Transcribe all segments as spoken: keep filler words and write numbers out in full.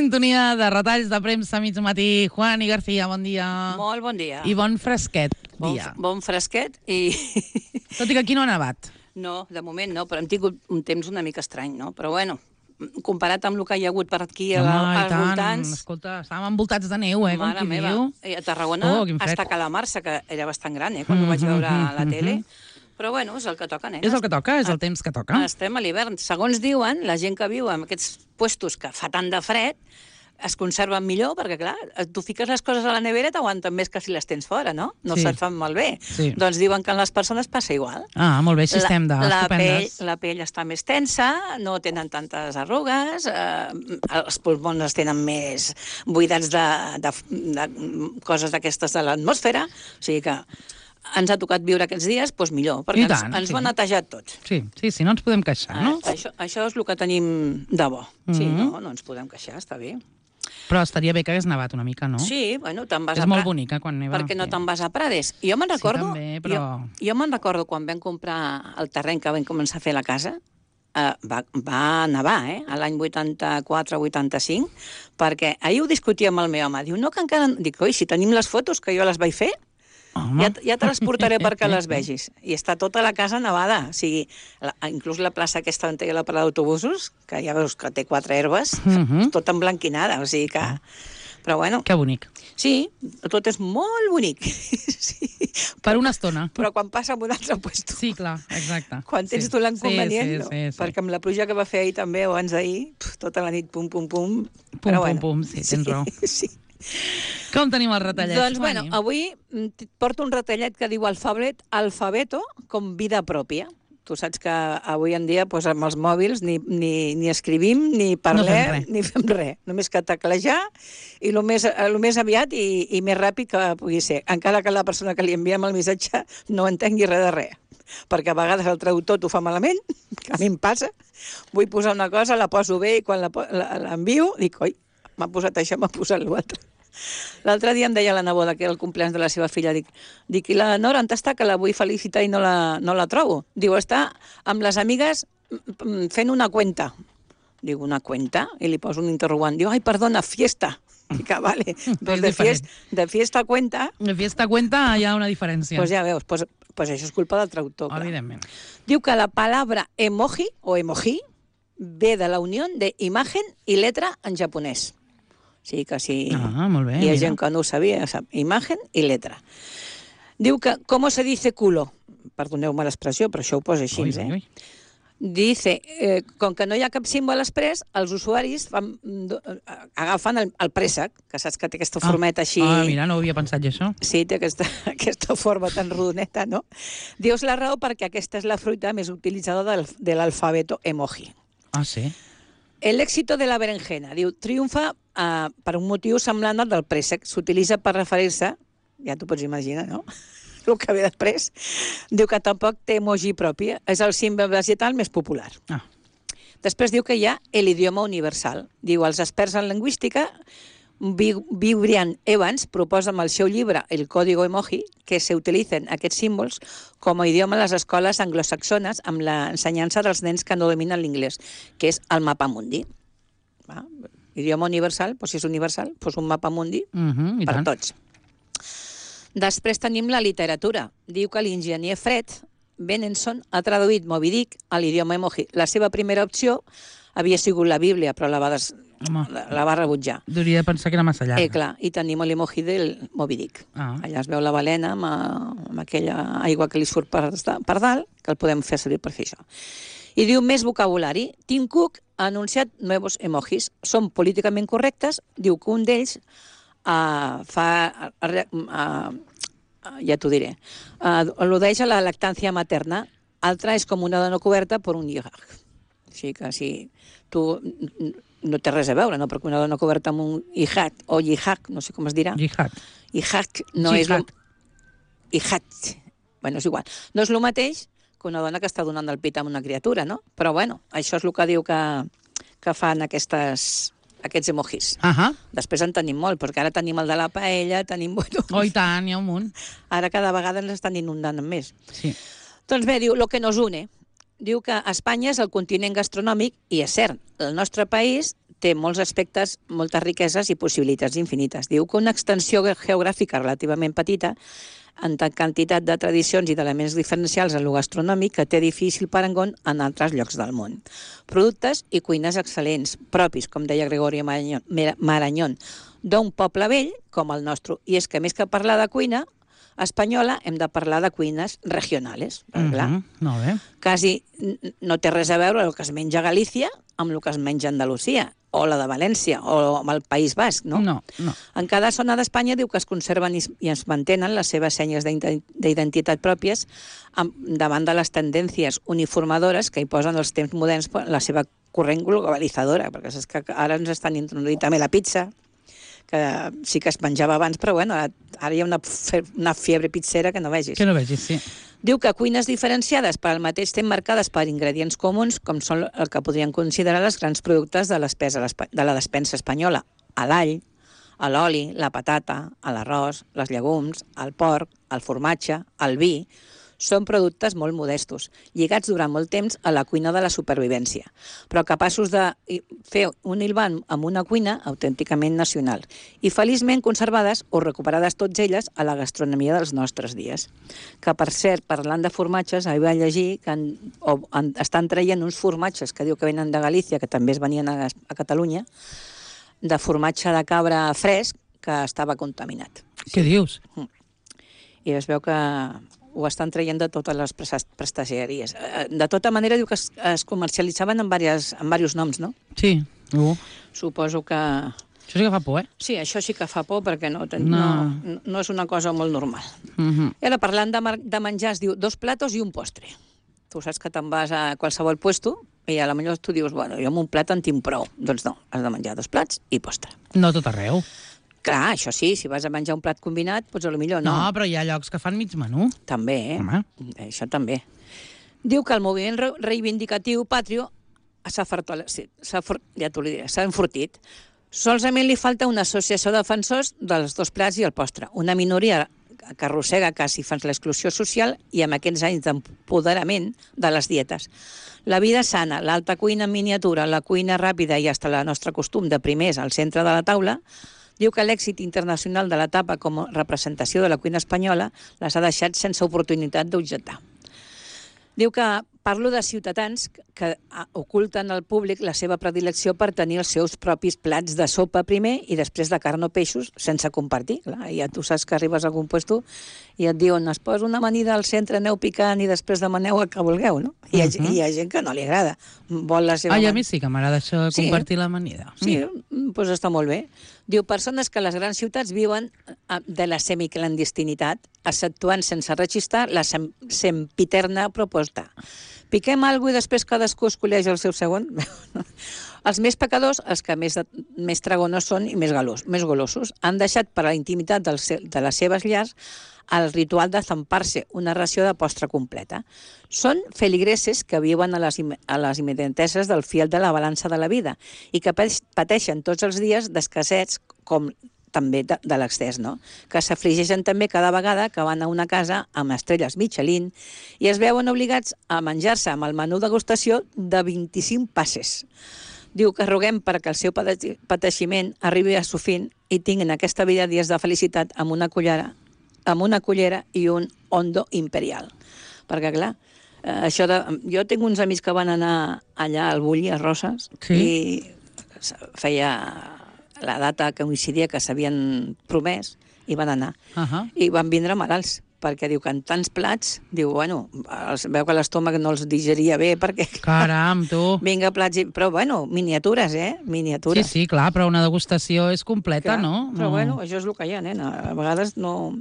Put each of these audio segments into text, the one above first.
sintonia de retalls de premsa mig matí. Juani García, bon dia. Molt bon dia. I bon fresquet dia. Bon, bon fresquet i... Tot i que aquí no ha nevat. No, de moment no, però hem tingut un temps una mica estrany, no? Però bueno, comparat amb el que hi ha hagut per aquí Home, als tant. voltants... Escolta, estàvem envoltats de neu, eh, com Mare qui meva. diu. I a Tarragona, Oh, quin fred. hasta Calamarsa, que era bastant gran, eh, quan ho vaig veure a la tele. Però bueno, és el que toca, nenes. És el que toca, és el temps que toca. Estem a l'hivern. Segons diuen, la gent que viu en aquests puestos que fa tant de fred es conserven millor, perquè, clar, tu fiques les coses a la nevera i t'aguanten més que si les tens fora, no? No Sí. se't fan malbé. Sí. Doncs diuen que en les persones passa igual. Ah, molt bé, així estem La, la, pell, d'estupendes. la pell està més tensa, no tenen tantes arrugues, eh, els pulmons els tenen més buidats de, de, de coses d'aquestes de l'atmosfera, o sigui que ens ha tocat viure aquests dies, doncs millor, perquè I tant, ens, ens sí. ho han netejat tots. Sí, sí, sí, no ens podem queixar, no? Eh, això, això és el que tenim de bo. Sí, Mhm. no, no ens podem queixar, està bé. Però estaria bé que hagués nevat una mica, no? Sí, bueno, te'n vas És a molt Pra- bonica quan neva. perquè no sí. te'n vas a Prades. I jo me'n recordo... Sí, també, però... Jo, jo me'n recordo quan vam comprar el terreny que vam començar a fer la casa, eh, va, va nevar, eh, a l'any vuitanta-quatre vuitanta-cinc, perquè ahir ho discutia amb el meu home. Diu, no, que encara... Dic, oi, si tenim les fotos que jo les vaig fer, Home. ja, ja te les portaré perquè les vegis. I està tota la casa nevada. O sigui, la, inclús la plaça aquesta on té la parada d'autobusos, que ja veus que té quatre herbes, Mhm. tota emblanquinada. O sigui que... Però bueno, Que bonic. sí, tot és molt bonic. Sí. Per una estona. Però quan passa en un altre puesto. Sí, clar, exacte. Quan tens sí. tu l'inconvenient, sí, no? sí, sí, sí. Perquè amb la pluja que va fer ahir també, o abans d'ahir, pf, tota la nit, pum, pum, pum. Pum, Però pum, bueno, pum, sí, tens raó. Sí. Com tenim el retallet, Doncs, bueno, Juani? avui mm, et porto un retallet que diu alfabet, alfabeto com vida pròpia. Tu saps que avui en dia doncs, amb els mòbils ni, ni, ni escrivim, ni parlem, fem res. ni fem res. Només que teclejar i el més, el més aviat i, i més ràpid que pugui ser. Encara que la persona que li enviem el missatge no entengui res de res. Perquè a vegades el traductor t'ho fa malament, que a mi em passa. Vull posar una cosa, la poso bé i quan la po- la- l'envio dic, oi, m'ha posat això, m'ha posat l'altre. L'altre dia em deia la neboda que era el compleanys de la seva filla, dic, dic i la Nora on està, que la vull felicitar i no la, no la trobo? Diu, està amb les amigues mm, mm, fent una cuenta. Dic, una cuenta? I li poso un interrogant. Diu, ai, perdona, fiesta. Dic, ah, vale. Pues de, diferent. fiesta, de fiesta a cuenta, De fiesta cuenta hi ha una diferència. pues ja veus, pues, pues això és culpa del traductor. clar. Evidentment. Diu que la palabra emoji o emoji ve de la unió de imagen i letra en japonès. O sigui que si Ah, molt bé, hi ha mira. gent que no ho sabia, sap, imagen i letra. Diu que, com se dice culo? Perdoneu-me l'expressió, però això ho posa així, Ui, eh? ui, ui. Dice, eh, com que no hi ha cap símbol express, els usuaris fan, do- eh, agafen el, el préssec, que saps que té aquesta formeta així... Ah, mira, no ho havia pensat jo, això. Sí, té aquesta, aquesta forma tan rodoneta, no? Dius la raó perquè aquesta és la fruita més utilitzada del, de l'alfabeto emoji. Ah, sí? El éxito de la berenjena, diu, triomfa uh, per un motiu semblant al del préssec. S'utilitza per referir-se, ja t'ho pots imaginar, no?, el que ve després. Diu que tampoc té emoji pròpia, és el símbol vegetal més popular. Ah. Després diu que hi ha l'idioma universal. Diu, els experts en lingüística, Brian Evans proposa amb el seu llibre El código emoji que s'utilitzen aquests símbols com a idioma a les escoles anglosaxones amb l'ensenyança dels nens que no dominen l'inglès, que és el mapamundi. Va? Idioma universal, doncs si és universal, doncs un mapamundi Uh -huh, i per tant. tots. Després tenim la literatura. Diu que l'enginyer Fred Benenson ha traduït Moby Dick a l'idioma emoji. La seva primera opció havia sigut la Bíblia, però la va, des... Home. la, la va rebutjar. Hauria de pensar que era massa llarg. Eh, clar, i tenim l'emoji del Moby Dick. Ah. Allà es veu la balena amb, amb aquella aigua que li surt per, per dalt, que el podem fer servir per fer això. I diu més vocabulari. Tim Cook ha anunciat nuevos emojis. Són políticament correctes. Diu que un d'ells uh, fa... Uh, uh, ja t'ho diré. Uh, al·ludeix a la lactància materna. Altra és com una dona coberta per un lligaj. Així que si tu no té res a veure, no? Perquè una dona coberta amb un hijat o lligaj, no sé com es dirà. Jihad. Hijaj no Jihad. és... Lo... Hijat. Bueno, és igual. No és el mateix que una dona que està donant el pit a una criatura, no? Però bueno, això és el que diu que, que fan aquestes, aquests emojis. Uh -huh. Després en tenim molt, perquè ara tenim el de la paella, tenim... Bueno, Oh, i tant, hi ha un munt. ara cada vegada ens estan inundant amb més. Sí. Doncs bé, diu, lo que nos une. Diu que Espanya és el continent gastronòmic, i és cert, el nostre país té molts aspectes, moltes riqueses i possibilitats infinites. Diu que una extensió geogràfica relativament petita, en tant quantitat de tradicions i d'elements diferencials en lo gastronòmic, que té difícil parangó en altres llocs del món. Productes i cuines excel·lents, propis, com deia Gregorio Marañón, d'un poble vell com el nostre. I és que més que parlar de cuina espanyola, hem de parlar de cuines regionals. Mm -hmm, molt bé. Quasi no té res a veure el que es menja a Galícia amb el que es menja a Andalusia, o la de València, o amb el País Basc, no? No, no. En cada zona d'Espanya diu que es conserven i es mantenen les seves senyes d'identitat pròpies davant de les tendències uniformadores que hi posen els temps moderns la seva corrent globalitzadora, perquè és que ara ens estan introduint també la pizza, que sí que es menjava abans, però bueno, ara hi ha una, una fiebre pizzera que no vegis. Que no vegis, sí. Diu que cuines diferenciades per al mateix temps marcades per ingredients comuns, com són el que podrien considerar els grans productes de, de la despensa espanyola, a l'all, a l'oli, la patata, a l'arròs, les llegums, el porc, el formatge, el vi. Són productes molt modestos, lligats durant molt temps a la cuina de la supervivència, però capaços de fer un hilvan amb una cuina autènticament nacional i feliçment conservades o recuperades tots elles a la gastronomia dels nostres dies. Que, per cert, parlant de formatges, ahir vaig llegir que en, o, en, estan traient uns formatges que diu que venen de Galícia, que també es venien a, a Catalunya, de formatge de cabra fresc que estava contaminat. Què dius? I es veu que ho estan traient de totes les prestatgeries. De tota manera, diu que es, es comercialitzaven en, diverses, en diversos noms, no? Sí. Uh. Suposo que... Això sí que fa por, eh? Sí, això sí que fa por, perquè no, no. no, no és una cosa molt normal. Uh -huh. I ara, parlant de, de menjar, es diu dos platos i un postre. Tu saps que te'n vas a qualsevol puesto i a la millor tu dius, bueno, jo amb un plat en tinc prou. Doncs no, has de menjar dos plats i postre. No tot arreu. Clar, això sí, si vas a menjar un plat combinat, doncs potser no. No, però hi ha llocs que fan mig menú. També, eh? Home. Això també. Diu que el moviment reivindicatiu patrio s'ha sí, ja t'ho diré, s'ha enfortit. Solament li falta una associació de defensors dels dos plats i el postre. Una minoria que arrossega quasi fins l'exclusió social i amb aquests anys d'empoderament de les dietes. La vida sana, l'alta cuina en miniatura, la cuina ràpida i fins el nostre costum de primers al centre de la taula, diu que l'èxit internacional de l'etapa com a representació de la cuina espanyola les ha deixat sense oportunitat d'objectar. Diu que parlo de ciutadans que oculten al públic la seva predilecció per tenir els seus propis plats de sopa primer i després de carn o peixos sense compartir. Clar, ja tu saps que arribes a algun lloc i et diuen es posa una amanida al centre, aneu picant i després demaneu el que vulgueu, no? I hi ha, uh -huh. hi ha gent que no li agrada. Vol la seva Ai, a mi sí que m'agrada això de compartir sí. l'amanida. Sí, doncs pues està molt bé. Diu, persones que a les grans ciutats viuen de la semiclandestinitat, exceptuant sense registrar la sem sempiterna proposta. Piquem alguna cosa i després cadascú escolleix el seu segon? Els més pecadors, els que més, de, més tragonos són i més, galos, més golosos, han deixat per a la intimitat del, de les seves llars el ritual de zampar-se una ració de postre completa. Són feligreses que viuen a les, a les immediateses del fiel de la balança de la vida i que pateixen tots els dies d'escassets com també de, de l'excés, no? Que s'afligeixen també cada vegada que van a una casa amb estrelles Michelin i es veuen obligats a menjar-se amb el menú degustació de vint-i-cinc passes. Diu que roguem perquè el seu pateiximent arribi a su fin i tinguin aquesta vida dies de felicitat amb una cullera, amb una cullera i un hondo imperial. Perquè, clar, eh, això de... jo tinc uns amics que van anar allà al Bulli, a Roses, sí. i feia la data que coincidia que s'havien promès i van anar. Uh -huh. I van vindre malalts, perquè diu que en tants plats, diu, bueno, els, veu que l'estómac no els digeria bé, perquè... Caram, tu! Vinga, plats, i... però bueno, miniatures, eh? Miniatures. Sí, sí, clar, però una degustació és completa, clar, no? Però no. bueno, això és el que hi ha, nena. A vegades no...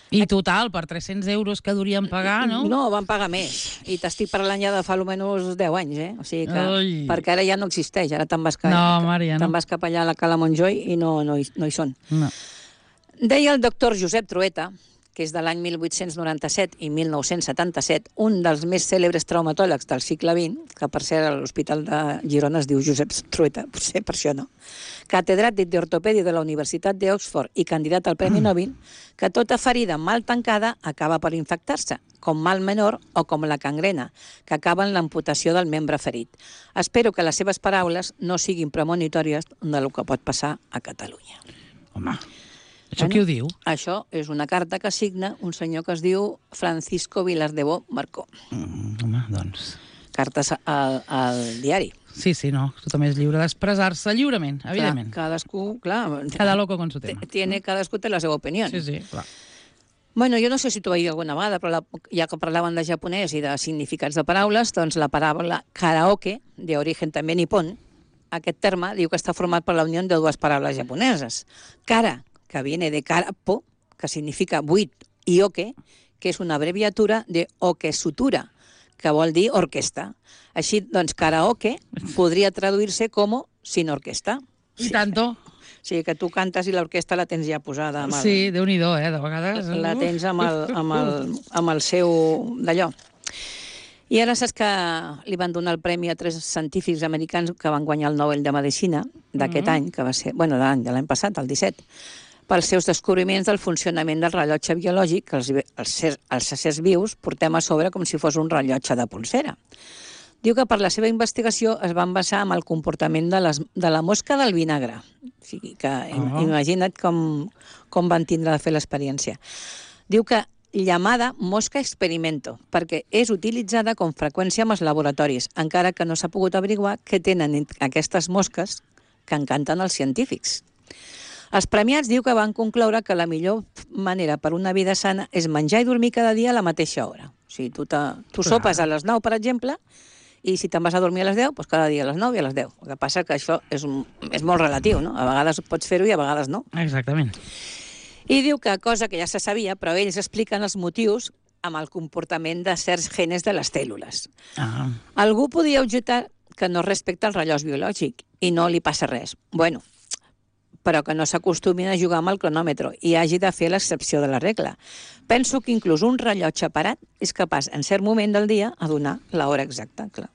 I total, per tres-cents euros que durien pagar, no? No, van pagar més. I t'estic parlant ja de fa almenys deu anys, eh? O sigui que... Ai. Perquè ara ja no existeix, ara te'n vas, cap, no, Maria, no. vas cap allà a la Cala Montjoi i no, no, hi, no hi són. No. Deia el doctor Josep Trueta que és de l'any mil vuit-cents noranta-set i mil nou-cents setanta-set, un dels més cèlebres traumatòlegs del segle vint, que per ser a l'Hospital de Girona es diu Josep Trueta, potser per això no, catedràtic d'ortopèdia de la Universitat d'Oxford i candidat al Premi Nobel, que tota ferida mal tancada acaba per infectar-se, com mal menor o com la gangrena, que acaba en l'amputació del membre ferit. Espero que les seves paraules no siguin premonitòries del que pot passar a Catalunya. Home, això bueno, qui ho diu? Això és una carta que signa un senyor que es diu Francisco Vilardebó Marcó. Mm, home, doncs... Cartes al, al diari. Sí, sí, no. Tothom és lliure d'expressar-se lliurement, evidentment. Clar, cadascú, clar... Cada loco con su tema. Tiene, cadascú té la seva opinió. Sí, sí, clar. Bueno, jo no sé si t'ho vaig dir alguna vegada, però la, ja que parlaven de japonès i de significats de paraules, doncs la paraula karaoke, d'origen també nipón, aquest terme diu que està format per la unió de dues paraules japoneses. Kara, que viene de karapo, que significa buit, i oke, que és una abreviatura de okesutura, que vol dir orquesta. Així, doncs, karaoke podria traduir-se com sin orquesta. I tanto. O sigui, que tu cantes i l'orquestra la tens ja posada amb el... Sí, Déu-n'hi-do, eh, de vegades. La tens amb el, amb el, amb el seu d'allò. I ara saps que li van donar el premi a tres científics americans que van guanyar el Nobel de Medicina d'aquest Mm-hmm. any, que va ser, bueno, de l'any, de l'any passat, el disset, pels seus descobriments del funcionament del rellotge biològic que els, els, els éssers vius portem a sobre com si fos un rellotge de pulsera. Diu que per la seva investigació es van basar en el comportament de, les, de la mosca del vinagre. O sigui que oh. imagina't com, com van tindre de fer l'experiència. Diu que llamada mosca experimento, perquè és utilitzada com freqüència en els laboratoris, encara que no s'ha pogut averiguar què tenen aquestes mosques que encanten els científics. Els premiats diu que van concloure que la millor manera per una vida sana és menjar i dormir cada dia a la mateixa hora. O sigui, tu, te, tu sopes a les nou, per exemple, i si te'n vas a dormir a les deu, doncs cada dia a les nou i a les deu. El que passa que això és, un, és molt relatiu, no? A vegades pots fer-ho i a vegades no. Exactament. I diu que, cosa que ja se sabia, però ells expliquen els motius amb el comportament de certs genes de les cèl·lules. Ah. Algú podia objectar que no respecta el rellotge biològic i no li passa res. Bueno, però que no s'acostumin a jugar amb el cronòmetre i hagi de fer l'excepció de la regla. Penso que inclús un rellotge parat és capaç, en cert moment del dia, a donar l'hora exacta, clar.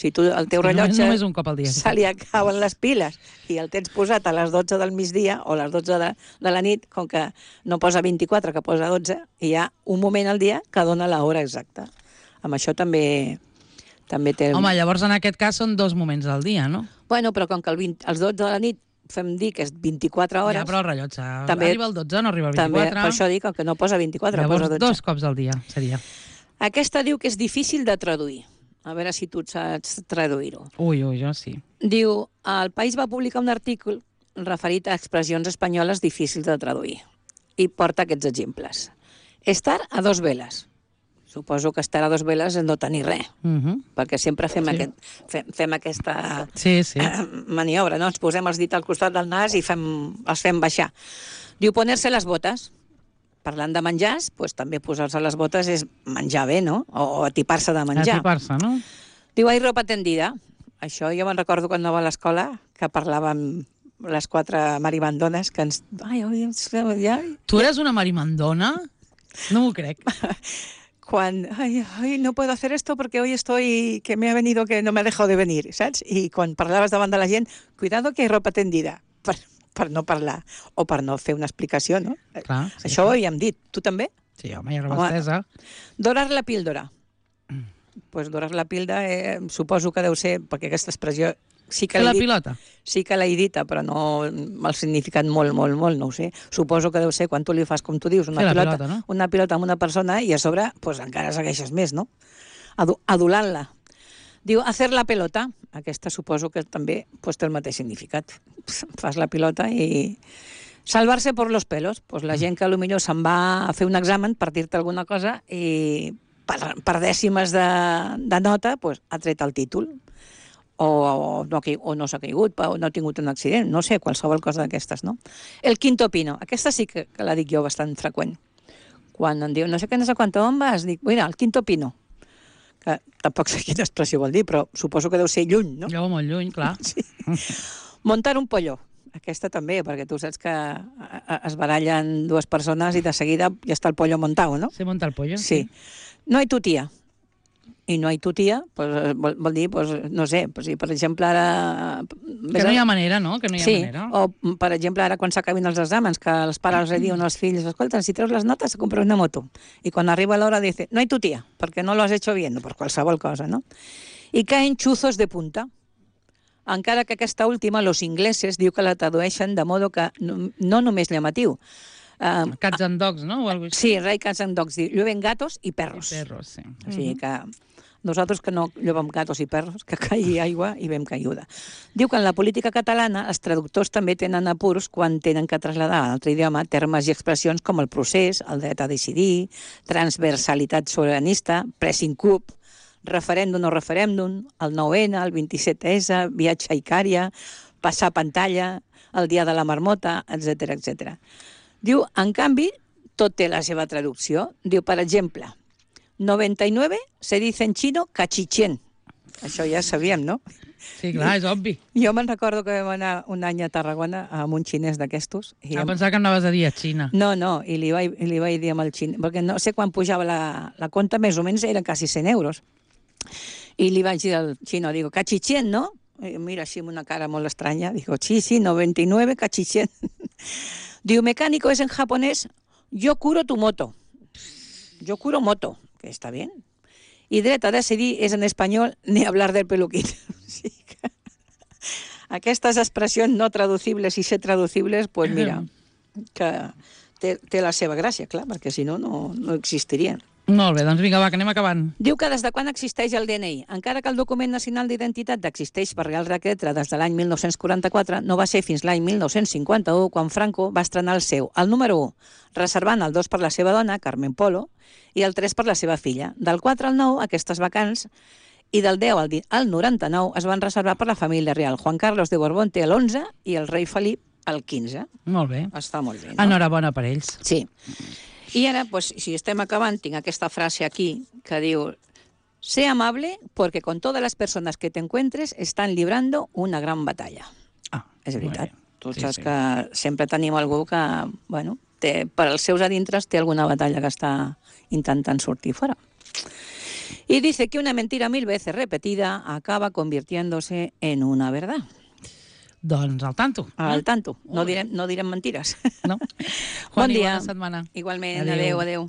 Si tu, el teu Sí, rellotge, només un cop al dia, sí. se li acaben les piles i el tens posat a les dotze del migdia o a les dotze de, de la nit, com que no posa vint-i-quatre, que posa dotze, i hi ha un moment al dia que dona l'hora exacta. Amb això també, també té... Home, llavors en aquest cas són dos moments al dia, no? Bueno, però com que el vint, els dotze de la nit fem dir que és vint-i-quatre hores... Ja, però el rellotge també, arriba al dotze, no arriba al també, vint-i-quatre. per això dic que no posa vint-i-quatre, llavors, posa dotze. Dos cops al dia seria. Aquesta diu que és difícil de traduir. A veure si tu saps traduir-ho. Ui, ui, jo sí. Diu, el País va publicar un article referit a expressions espanyoles difícils de traduir. I porta aquests exemples. Estar a dos veles. Suposo que estar a dos veles és no tenir res, Uh -huh. perquè sempre fem, Sí. aquest, fem, fem aquesta Sí, sí. eh, maniobra, no? Ens posem els dits al costat del nas i fem, els fem baixar. Diu, ponerse les botes. Parlant de menjars, doncs també posar-se les botes és menjar bé, no? O atipar-se de menjar. Atipar-se, no? Diu, hay ropa tendida. Això jo me'n recordo quan anava a l'escola, que parlàvem les quatre maribandones, que ens... Ai, ai, ja... Tu eres una marimandona? No m'ho crec. Quan, ay, ay, no puedo hacer esto porque hoy estoy, que me ha venido, que no me ha dejado de venir, saps? I quan parlaves davant de la gent, cuidado que hay ropa tendida, per, per no parlar, o per no fer una explicació, no? Clar, sí, Això ho havíem dit. Tu també? Sí, home, hi ha roba estesa. Dorar la píldora. Doncs pues dorar la píldora, eh, suposo que deu ser, perquè aquesta expressió sí que Fer la l'he dit, pilota. sí que l'he dita, però no el significat molt, molt, molt, no ho sé. Suposo que deu ser quan tu li fas, com tu dius, una Fer la pilota, pilota, no? una pilota amb una persona i a sobre pues, encara segueixes més, no? Adu adulant-la. Diu, hacer la pelota. Aquesta suposo que també pues, té el mateix significat. Fas la pilota i... Salvar-se por los pelos. Pues la gent que potser se'n va a fer un examen per dir-te alguna cosa i per, per dècimes de, de nota pues, ha tret el títol. O, o no, o no s'ha caigut, o no ha tingut un accident, no sé, qualsevol cosa d'aquestes, no? El quinto pino, aquesta sí que, que la dic jo bastant freqüent. Quan em diu, no sé què, no sé quant, on vas? Dic, mira, el quinto pino. Que tampoc sé quina expressió vol dir, però suposo que deu ser lluny, no? Jo molt lluny, clar. Sí. Montar un pollo. aquesta també, perquè tu saps que a- a- es barallen dues persones i de seguida ja està el pollo montado, no? Se monta el pollo. Sí. No hay tu tía. I no hay tu tía, pues, vol, vol dir, pues, no sé, pues, si per exemple ara... Que no hi ha manera, no? Que no hi ha sí, manera. o per exemple ara quan s'acabin els exàmens, que els pares els diuen als fills, escolta, si treus les notes, compra una moto. I quan arriba l'hora dice, no hay tu tía, perquè no lo has hecho bien, per qualsevol cosa, no? I caen chuzos de punta. Encara que aquesta última, los ingleses, diu que la tradueixen de modo que no, no només llamatiu. Uh, Cats and dogs, no? O algo així. sí, Ray Cats and Dogs, diu, llueven gatos i perros. I perros, sí. O sigui que nosaltres que no llevem gatos i perros, que caigui aigua i ben caiguda. Diu que en la política catalana els traductors també tenen apurs quan tenen que traslladar a l'altre idioma termes i expressions com el procés, el dret a decidir, transversalitat sobiranista, pressing cup, referèndum o referèndum, el nou ene, el vint-i-set esse, viatge a Icària, passar pantalla, el dia de la marmota, etcètera, etcètera. Diu, en canvi, tot té la seva traducció. Diu, per exemple, noventa y nueve se dice en chino cachichén. Això ja sabíem, no? Sí, clar, és obvi. Jo me'n recordo que vam anar un any a Tarragona amb un xinès d'aquestos. i Ah, em- pensava que anaves a dir a Xina. No, no, i li vaig, i li vaig dir amb el xinès, perquè no sé quan pujava la, la compta, més o menys eren quasi cent euros. I li vaig dir al xino, digo, cachichén, ¿no? I mira així amb una cara molt estranya, digo, sí, sí, noventa y nueve cachichén. Digo, mecánico es en japonés, yo curo tu moto. Yo curo moto, que está bien. Y dret a decidir és en espanyol ni hablar del peluquín. Sí que... Aquestes expressions no traducibles i ser traducibles, pues mira, que té, té la seva gràcia, clar, perquè si no, no, no existirien. Molt bé, doncs vinga, va, que anem acabant. Diu que des de quan existeix el de ena i? Encara que el document nacional d'identitat existeix per Real Decret des de l'any mil nou-cents quaranta-quatre, no va ser fins l'any mil nou-cents cinquanta-u quan Franco va estrenar el seu, el número u, reservant el dos per la seva dona, Carmen Polo, i el tres per la seva filla. Del quatre al nou, aquestes vacants, i del deu al, al noranta-nou es van reservar per la família real. Juan Carlos de Borbón té l'onze i el rei Felip el quinze. Molt bé. Està molt bé, no? Enhorabona per ells. Sí. I ara, pues, si estem acabant, tinc aquesta frase aquí que diu: sé amable porque con todas las personas que te encuentres están librando una gran batalla. Ah, És veritat. molt bé. Tu Sí, saps sí. que sempre tenim algú que, bueno, té, per als seus adintres té alguna batalla que està intentant sortir fora. Y dice que una mentira mil veces repetida acaba convirtiéndose en una verdad. Doncs al tanto. Al tanto. No Molt bé. direm, no direm mentires. No? Bon Juani, dia. bona setmana. Igualment, Adéu. adeu, adeu.